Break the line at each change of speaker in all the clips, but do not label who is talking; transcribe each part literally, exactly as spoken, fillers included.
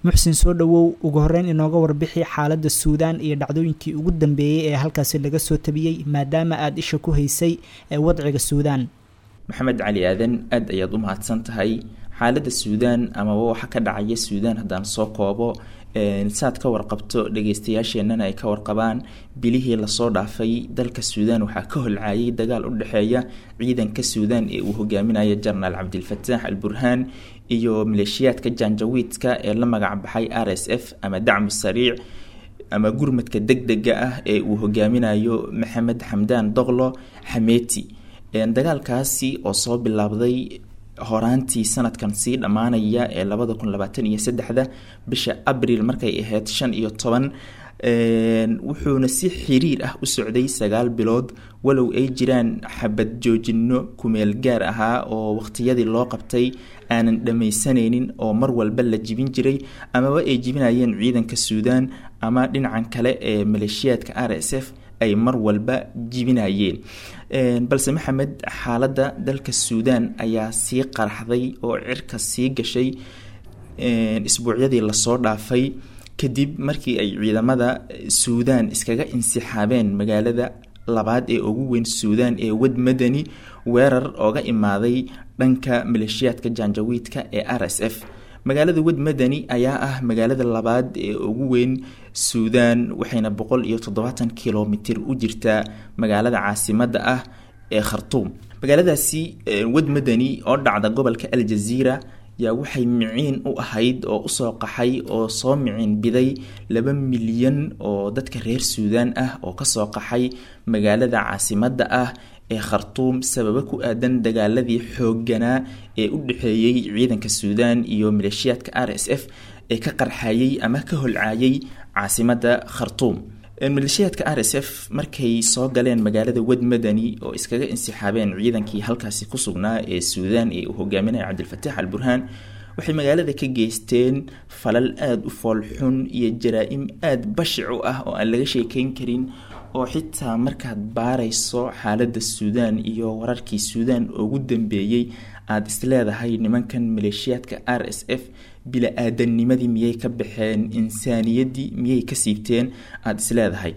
Muxsin, soo dhowow. Ugu horeyn inooga warbixi xaaladda Suudaan iyo dhacdooyinkii ugu dambeeyey ee halkaasi laga soo tabiyey, maadaama aada isha ku haysay ee wadciga Suudaan.
Maxamed Cali Aadan, aada ayaad u mahadsan tahay. Xaaladda Suudaan amaba waxa ka dhacaya Suudaan haddaan soo koobo, saad ka warqabto dhageystayaasheenana ay ka warqabaan, bilihii lasoo dhaafay dalka Suudaan waxaa ka holcaayay dagaal u dhexeeya ciidanka Suudaan ee uu hogaaminaya Jenaraal Cabdilfataax Al Burhaan iyo maleeshiyaadka Janjawiidka ee la magac baxay R S F ama Dacmu Sariic ama gurmadka deg dega ah ee uu hogaaminayo Maxamed Xamdaan Doqlo Xameeti. Dagaalkaasi oo soo bilaabday horaantii sanadkan sii dhammaanaya ee labada kun labaatan iyo saddexda bisha Abriil markay ahayd shan iyo toban, wuxuuna si xiriir ah u socday sagaal bilood, walow ay jiraan xabad joojino kumeel gaar ahaa oo waqtiyadii loo qabtay aanan dhammaysanaynin oo mar walba la jibin jiray, amaba ay jibinayeen ciidanka Suudaan ama dhinacan kale ee maleeshiyaadka R S F ay mar walba jibinayeen. Balse Maxamed, xaaladda dalka Suudaan ayaa sii qaraxday oo cirka sii gashay isbuucyadii lasoo dhaafay, kadib markii ay ciidamada Suudaan iskaga insixaabeen magaalada labaad ee ugu weyn Suudaan ee Wad Madani, weerar ooga imaaday dhanka maleeshiyaadka Janjawiidka ee R S F. Magaalada Wad Madani ayaa ah magaalada labaad ee ugu weyn Suudaan, waxayna boqol iyo toddobaatan kilomitir u jirtaa magaalada caasimadda ah ee Khartuum. Magaaladaasi Wad Madani oo dhacda gobolka Aljaziira yaa waxay miciin u ahayd oo usoo qaxay oo soo miciin biday laba milyan oo dadka reer Suudaan ah oo kasoo qaxay magaalada caasimadda ah ee Khartuum, sababo ku aadan dagaaladii xoogganaa ee u dhexeeyey ciidanka Suudaan iyo maleeshiyaadka R S F ee ka qarxayey ama ka holcaayay caasimadda Khartuum. Maleeshiyaadka R S F markay soo galeen magaalada Wad Madani oo iskaga insixaabeen ciidankii halkaasi ku sugnaa ee Suudaan ee uu hogaaminaya Cabdilfataax Al Burhaan, waxay magaalada ka geysteen falal aada u foolxun iyo jaraa-im aada bashic u ah oo aan laga sheekeyn karin, oo xitaa markaad baarayso xaaladda Suudaan iyo wararkii Suudaan ugu dambeeyey aada isleedahay nimankan maleeshiyaadka R S F bila-aadanimadii miyay ka baxeen, insaaniyaddii miyay ka siibteen aada isleedahay,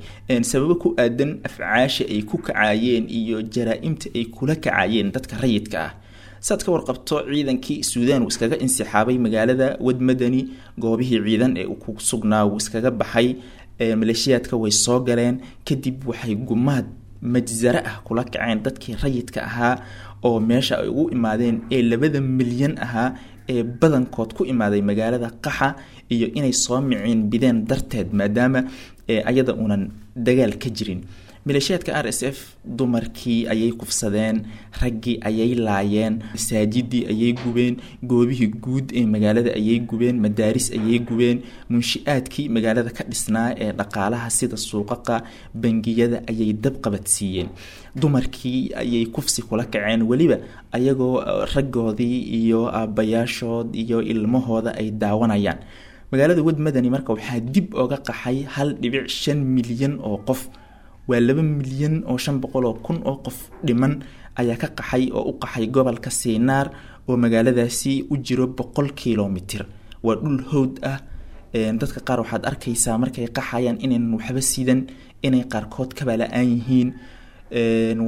sababo ku aadan afcaasha ay ku kacayeen iyo jaraa-imta ay kula kacayeen dadka rayidka ah. Saad ka warqabto, ciidankii Suudaan wuu iskaga insixaabay magaalada Wad Madani, goobihii ciidan ee uu ku sugnaa wuu iskaga baxay. Maleeshiyaadka way soo galeen, kadib waxay gumaad majsare ah kula kaceen dadkii rayidka ahaa oo meesha ay ugu imaadeen ee labada milyan ahaa ee badankood ku imaaday magaalada qaxa iyo inay soo miciin bideen darteed, maadaama ayada unan dagaal ka jirin. Maleeshiyaadka R S F dumarkii ayay kufsadeen, raggii ayay laayeen, masaajidii ayay gubeen, goobihii guud ee magaalada ayay gubeen, madaaris ayay gubeen, munshi-aadkii magaalada ka dhisnaa ee dhaqaalaha sida suuqaqa, bangiyada ayay dabqabadsiiyeen, dumarkii ayay kufsi kula kaceen, weliba ayagoo raggoodii iyo aabbayaashood iyo ilmahooda ay daawanayaan. Magaalada Wad Madani marka waxaa dib oga qaxay hal dhibic shan milyan oo qof, waa laba milyan oo shan boqol oo kun oo qof dhiman ayaa ka qaxay oo u qaxay gobolka Siinaar oo magaaladaasi u jiro boqol kilomitir. Waa dhul howd ah. Dadka qaar waxaad arkaysaa markay qaxayaan inaynan waxba sidan, inay qaarkood kaba la-aan yihiin,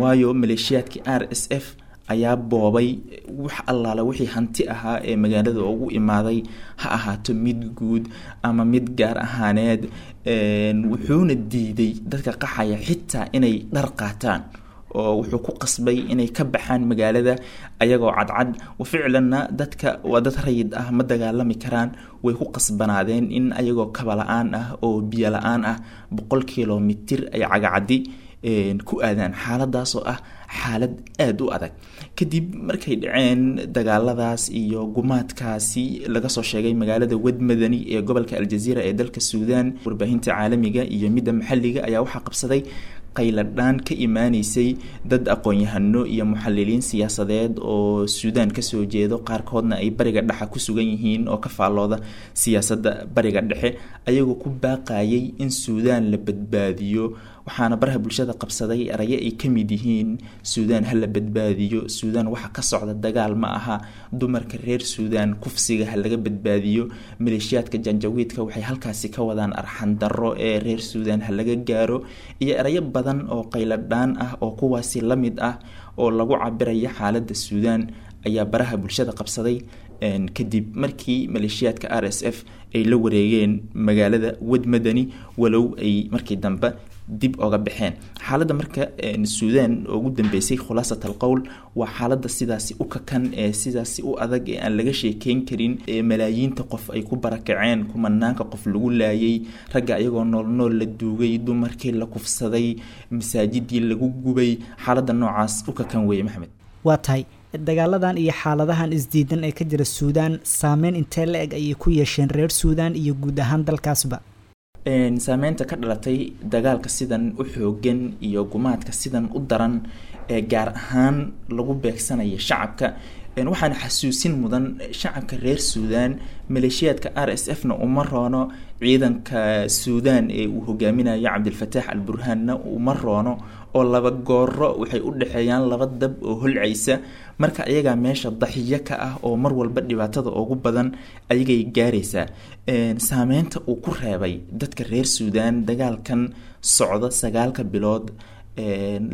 waayo maleeshiyaadkii R S F ayaa boobay wax allaala wixii hanti ahaa ee magaalada ugu imaaday, ha ahaato mid guud ama mid gaar ahaaneed. Wuxuuna diiday dadka qaxaya xitaa inay dhar qaataan, oo wuxuu ku qasbay inay ka baxaan magaalada ayagoo cadcad. Ficlanna dadka waa dad rayid ah, ma dagaalami karaan, way ku qasbanaadeen in ayagoo kaba la-aan ah oo biyo la-aan ah boqol kilomitir ay cagacadi ku aadaan, xaaladaasoo ah xaalad aada u adag. Kadib markay dhaceen dagaaladaas iyo gumaadkaasi laga soo sheegay magaalada Wad Madani ee gobolka Aljaziira ee dalka Suudaan, warbaahinta caalamiga iyo midda maxalliga ayaa waxaa qabsaday Qayladhaan ka imaaneysay dad aqoon-yahano iyo muxaliliin siyaasadeed oo Suudaan kasoo jeedo, qaarkoodna ay Bariga Dhexe ku sugan yihiin oo ka faallooda siyaasadda Bariga Dhexe, ayagoo ku baaqayay in Suudaan la badbaadiyo. Waxaana baraha bulshada qabsaday erayo ay ka mid yihiin "Suudaan ha la badbaadiyo", "Suudaan waxa ka socda dagaal ma aha", "Dumarka reer Suudaan kufsiga ha laga badbaadiyo", "Maleeshiyaadka Janjawiidka waxay halkaasi ka wadaan arxan darro ee reer Suudaan ha laga gaaro", iyo erayo badan oo qayladhaan ah oo kuwaasi la mid ah oo lagu cabiraya xaaladda Suudaan ayaa baraha bulshada qabsaday kadib markii maleeshiyaadka R S F ay la wareegeen magaalada Wad Madani, walow ay markii dambe dib oga baxeen. Xaaladda marka Suudaan ugu dambeysay, khulaasat alqowl, waa xaaladda sidaasi u kakan ee sidaasi u adag ee aan laga sheekeyn karin, ee malaayiinta qof ay ku barakaceen, kumanaanka qof lagu laayay, ragga ayagoo nool nool la duugay, dumarkii la kufsaday, masaajidii lagu gubay. Xaaladda noocaas u kakan weeye, Maxamed.
Waa tahay. Dagaaladan iyo xaaladahan isdiidan ee ka jira Suudaan saameyn intee la eg ayay ku yeesheen reer Suudaan iyo guud ahaan dalkaasba?
Saameynta ka dhalatay dagaalka sidan u xoogan iyo gumaadka sidan u daran ee gaar ahaan lagu beegsanaya shacabka, waxaana xasuusin mudan shacabka reer Suudaan maleeshiyaadka R S F na uma roono, ciidanka Suudaan ee uu hogaaminayo Cabdilfataax Al Burhaanna uma roono, oo laba gooro waxay u dhexeeyaan laba dab oo holcaysa. Marka ayagaa meesha daxiyo ka ah oo mar walba dhibaatada ugu badan ayagay gaaraysaa. Saameynta uu ku reebay dadka reer Suudaan dagaalkan socda sagaalka bilood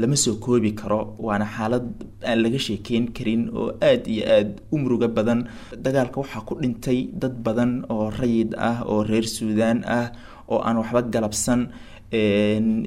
lama soo koobi karo, waana xaalad aan laga sheekeyn karin oo aada iyo aada u murugo badan. Dagaalka waxaa ku dhintay dad badan oo rayid ah oo reer Suudaan ah oo aan waxba galabsan.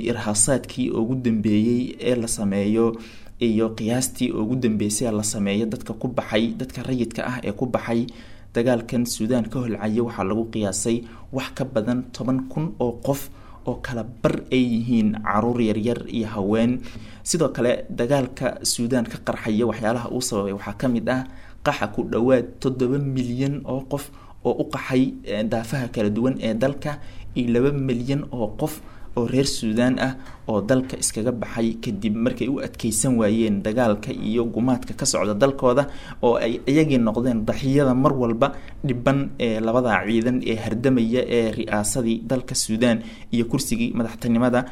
Irhaasaadkii ugu dambeeyey ee la sameeyo iyo qiyaastii ugu dambeysay la sameeyo, dadka ku baxay, dadka rayidka ah ee ku baxay dagaalkan Suudaan ka holcaya, waxaa lagu qiyaasay wax ka badan toban kun oo qof oo kala bar ay yihiin caruur yaryar iyo haween. Sidoo kale dagaalka Suudaan ka qarxaya waxyaalaha uu sababay waxaa ka mid ah qaxa ku dhowaad toddoba milyan oo qof oo u qaxay daafaha kala duwan ee dalka, iyo laba milyan oo qof oo reer Suudaan ah oo dalka iskaga baxay kadib markay u adkeysan waayeen dagaalka iyo gumaadka ka socda dalkooda, oo ay iyagii noqdeen daxiyada mar walba dhiban ee labada ciidan ee hardamaya ee ri'aasadii dalka Suudaan iyo kursigii madaxtinimada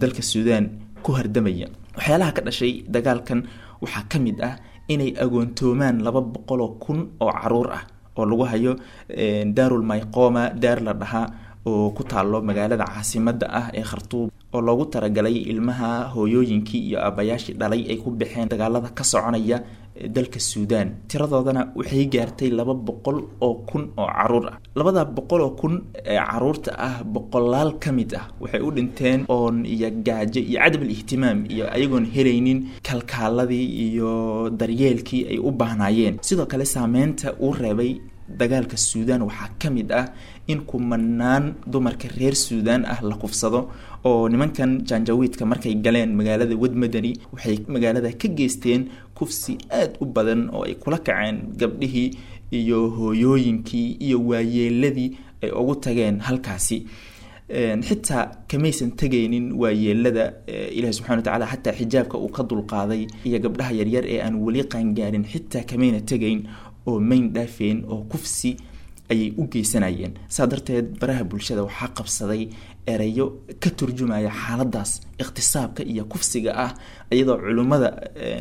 dalka Suudaan ku hardamaya. Waxyaalaha ka dhashay dagaalkan waxaa ka mid ah inay agoontoomaan laba boqoloo kun oo caruur ah oo lagu hayo Daarul Mayqooma, daar la dhahaa oo ku taalo magaalada caasimadda ah ee Khartuum, oo loogu talagalay ilmaha hooyooyinkii iyo aabayaashii dhalay ay ku baxeen dagaalada ka soconaya dalka Suudaan. Tiradoodana waxay gaartay laba boqol oo kun oo caruur ah. Labada boqol oo kun ee caruurta ah, boqolaal ka mid ah waxay u dhinteen oon iyo gaajo iyo cadam ihtimaam iyo ayagoon helaynin kalkaaladii iyo daryeelkii ay u baahnaayeen. Sidoo kale saameynta uu reebay dagaalka Suudaan waxaa ka mid ah in kumanaan dumarka reer Suudaan ah la kufsado, oo nimankan Janjawiidka markay galeen magaalada Wad Madani waxay magaalada ka geysteen kufsi aada u badan oo ay kula kaceen gabdhihii iyo hooyooyinkii iyo waayeeladii ay ugu tageen halkaasi. Xitaa kamaysan tegaynin waayeelada Ilahi subxana wa tacala xataa xijaabka uu ka dulqaaday iyo gabdhaha yaryar ee aan weli qaangaarin, xitaa kamayna tegayn oo mayn dhaafeen oo kufsi ayay u geysanayeen. Saa darteed baraha bulshada waxaa qabsaday erayo ka turjumaya xaaladaas ikhtisaabka iyo kufsiga ah, iyadoo culimmada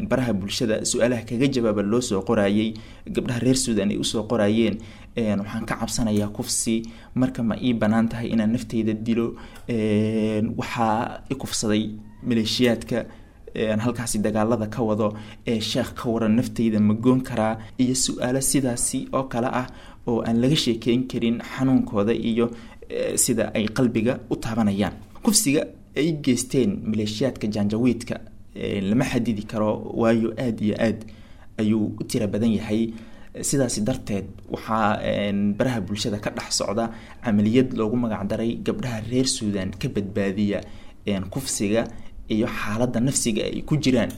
baraha bulshada su-aalaha kaga jawaaba loo soo qorayay, gabdhaha reer Suudan ay usoo qorayeen: "Waxaan ka cabsanayaa kufsi, marka ma ii banaan tahay inaan nafteyda dilo? Waxaa i kufsaday maleeshiyaadka halkaasi dagaalada ka wado ee sheekh, ka waran, nafteyda ma goon karaa?" Iyo su-aalo sidaasi oo kale ah oo aan laga sheekeyn karin xanuunkooda iyo sida ay qalbiga u taabanayaan. Kufsiga ay geysteen maleeshiyaadka Janjawiidka lama xadidi karo, waayo aada iyo aad ayuu u tiro badan yahay. Sidaasi darteed waxaa baraha bulshada ka dhex socda camaliyad loogu magacdaray "Gabdhaha reer Suudan ka badbaadiya kufsiga iyo xaaladda nafsiga ay ku jiraan".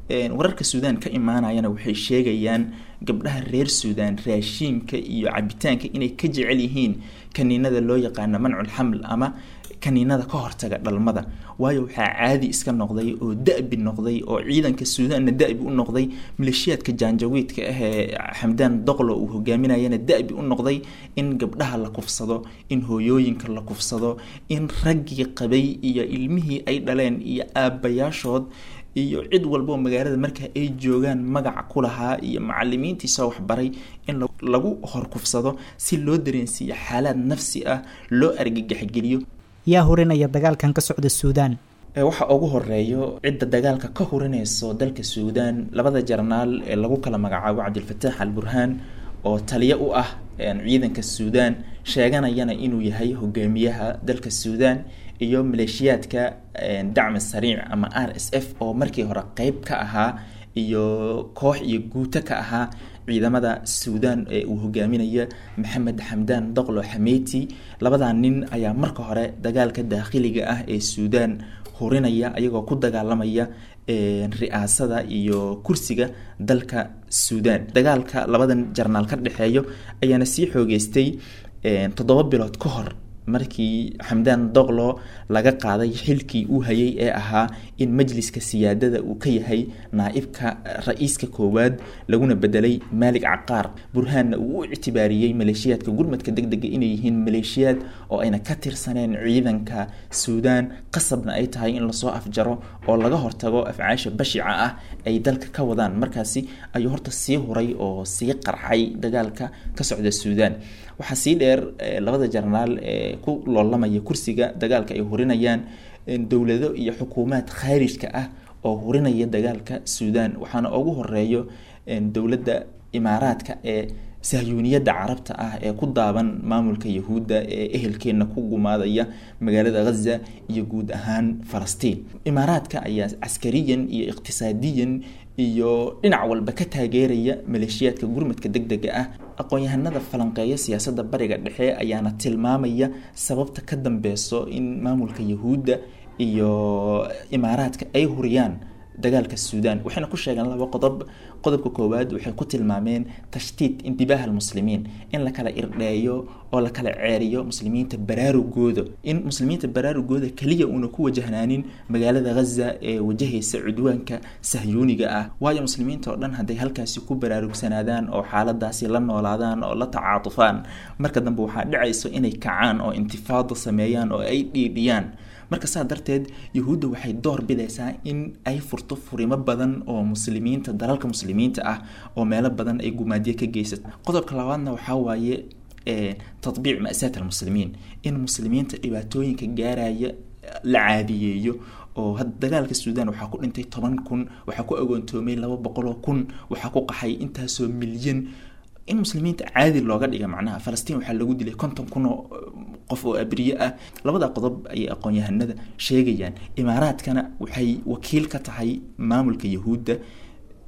Wararka Suudaan ka imaanayana waxay sheegayaan gabdhaha reer Suudaan raashiinka iyo cabitaanka inay ka jecel yihiin kaniinada loo yaqaano mancul xaml ama kaniinada ka hortaga dhalmada, waayo waxaa caadi iska noqday oo da-bi noqday oo ciidanka Suudaanna da-bi u noqday, maleeshiyaadka jaanjawiidka ah ee Xamdaan Doqlo uu hogaaminayana da-bi u noqday in gabdhaha la kufsado, in hooyooyinka la kufsado, in raggii qabay iyo ilmihii ay dhaleen iyo aabbayaashood iyo cid walba oo magaalada marka ay joogaan magac ku lahaa iyo macalimiintiisa waxbaray in lagu horkufsado si loo dareensiiyo xaalaad nafsi ah, loo argagaxgeliyo.
Yaa hurinaya dagaalkan ka socda Suudaan?
Waxa ugu horeeyo cidda dagaalka ka hurinayso dalka Suudaan labada jarnaal ee lagu kala magacaabo Cabdilfataax Al Burhaan oo taliyo u ah ciidanka Suudaan, sheeganayana inuu yahay hogaamiyaha dalka Suudaan, iyo maleeshiyaadka Dacmi Sariic ama R S F oo markii hore qeyb ka ahaa iyo koox iyo guuto ka ahaa ciidamada Suudaan ee uu hogaaminaya Maxamed Xamdaan Doqlo Xameyti. Labadaa nin ayaa marka hore dagaalka daakhiliga ah ee Suudaan hurinaya, ayagoo ku dagaalamaya ri'aasada iyo kursiga dalka Suudaan. Dagaalka labadan jarnaal ka dhexeeyo ayaana sii xoogeystay toddoba bilood ka hor markii Xamdaan Doqlo laga qaaday xilkii uu hayay ee ahaa in majliska siyaadada uu ka yahay naa'ibka ra-iiska koowaad, laguna bedelay Maalig Caqaar. Burhaanna uu u ictibaariyey maleeshiyaadka gurmadka degdega inay yihiin maleeshiyaad oo ayna ka tirsaneen ciidanka Suudaan, qasabna ay tahay in lasoo afjaro oo laga hortago afcaasha bashica ah ay dalka ka wadaan. Markaasi ayuu horta sii huray oo sii qarxay dagaalka ka socda Suudaan. Waxaa sii dheer labada jarnaal ee ku loolamaya kursiga dagaalka ay hurinayaan dowlado iyo xukuumaad khaarijka ah oo hurinaya dagaalka Suudaan, waxaana ugu horeeyo dowladda Imaaraadka ee sahyuuniyadda carabta ah ee ku daaban maamulka Yahuudda ee ehelkeena ku gumaadaya magaalada Ghaza iyo guud ahaan Falastiin. Imaaraadka ayaa caskariyan iyo iqtisaadiyan iyo dhinac walba ka taageeraya maleeshiyaadka gurmadka degdega ah. Aqoon-yahanada falanqeeya siyaasadda Bariga Dhexe ayaana tilmaamaya sababta ka dambeyso in maamulka Yahuudda iyo Imaaraadka ay huriyaan dagaalka Suudaan. Waxayna ku sheegeen laba qodob. Qodobka koowaad waxay ku tilmaameen tashtiit intibaaha almuslimiin, in la kala irdheeyo oo la kala ceeriyo muslimiinta baraarugooda, in muslimiinta baraarugooda keliya uuna ku wajahnaanin magaalada Ghaza ee wajahaysa cudwaanka sahyuuniga ah, waayo muslimiinta oo dhan hadday halkaasi ku baraarugsanaadaan oo xaaladaasi la noolaadaan oo la tacaatufaan, marka dambe waxaa dhacayso inay kacaan oo intifaado sameeyaan oo ay dhiidhiyaan. Marka saa darteed Yahuudda waxay door bidaysaa in ay furto furimo badan oo muslimiinta dalalka muslimiinta ah oo meelo badan ay gumaadyo ka geysato. Qodobka labaadna waxaa waaye tatbiic ma'saat almuslimiin, in muslimiinta dhibaatooyinka gaaraya la caadiyeeyo. Oo had dagaalka Suudaan waxaa ku dhintay toban kun, waxaa ku agoontoomay laba boqol oo kun, waxaa ku qaxay intaasoo milyan, in muslimiinta caadi looga dhiga. Macnaha Falastiin waxaa lagu dilay konton kun oo qof oo abriye ah. Labada qodob ayay aqoon-yahanada sheegayaan. Imaaraadkana waxay wakiil ka tahay maamulka Yahuudda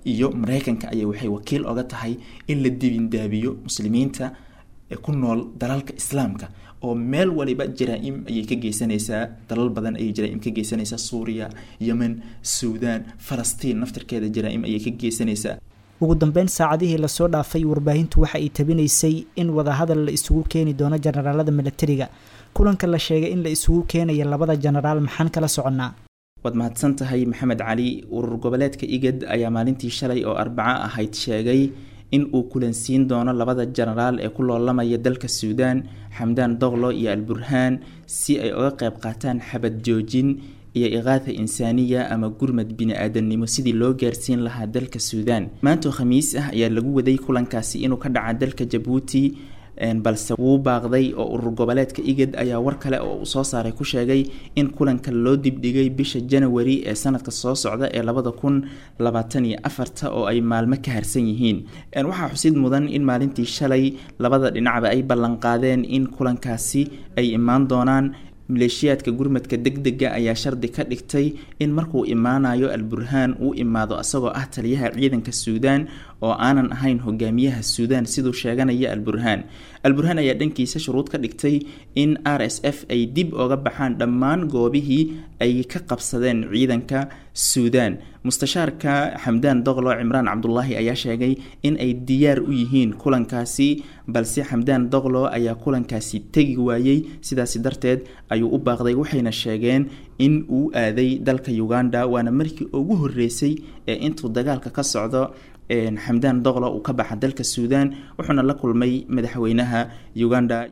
iyo Mareykanka ayay waxay wakiil oga tahay in la dibindaabiyo muslimiinta ku nool dalalka islaamka, oo meel waliba jaraa-im ayay ka geysanaysaa, dalal badan ayay jaraa-im ka geysanaysaa, Suuriya, Yemen, Suudaan, Falastiin naftirkeeda jaraa-im ayay ka geysanaysaa.
Ugu dambeyn, saacadihii lasoo dhaafay warbaahintu waxa ay tabinaysay in wadahadal la isugu keeni doono jenaraalada milatariga. Kulanka la sheegay in la isugu keenaya labada jenaraal maxaan kala soconnaa?
Waad mahadsan tahay Maxamed Cali. Urur goboleedka IGAD ayaa maalintii shalay oo Arbaco ahayd sheegay in uu kulansiin doono labada jenaraal ee ku loolamaya dalka Suudaan, Xamdaan Doqlo iyo Alburhaan, si ay uga qayb qaataan xabad joojin iyo iqaatha insaaniya ama gurmad bini-aadamnimo sidii loo gaarsiin lahaa dalka Suudaan. Maantoo Khamiis ah ayaa lagu waday kulankaasi inuu ka dhaca dalka Jabuuti, balse wuu baaqday oo urur goboleedka IGAD ayaa war kale oo uu soo saaray ku sheegay in kulanka loo dibdhigay bisha Janawari ee sanadka soo socda ee labada kun labaatan iyo afarta oo ay maalmo ka harsan yihiin. Waxaa xusid mudan in maalintii shalay labada dhinacba ay ballanqaadeen in kulankaasi ay imaan doonaan. Maleeshiyaadka gurmadka degdega ayaa shardi ka dhigtay in markuu imaanayo Alburhaan uu imaado asagoo ah taliyaha ciidanka Suudaan oo aanan ahayn hogaamiyaha Suudaan siduu sheeganaya Alburhaan. Alburhaan ayaa dhankiisa shuruud ka dhigtay in R S F ay dib oga baxaan dhammaan goobihii ay ka qabsadeen ciidanka Suudaan. Mustashaarka Xamdaan Doqlo Cimraan Cabdulaahi ayaa sheegay in ay diyaar u yihiin kulankaasi, balse Xamdaan Doqlo ayaa kulankaasi tegi waayey, sidaasi darteed ayuu u baaqday, waxayna sheegeen in uu aaday dalka Uganda, waana markii ugu horeysay ee intuu dagaalka ka socdo Xamdaan Doqlo uu ka baxa dalka Suudaan, wuxuuna la kulmay madaxweynaha Uganda.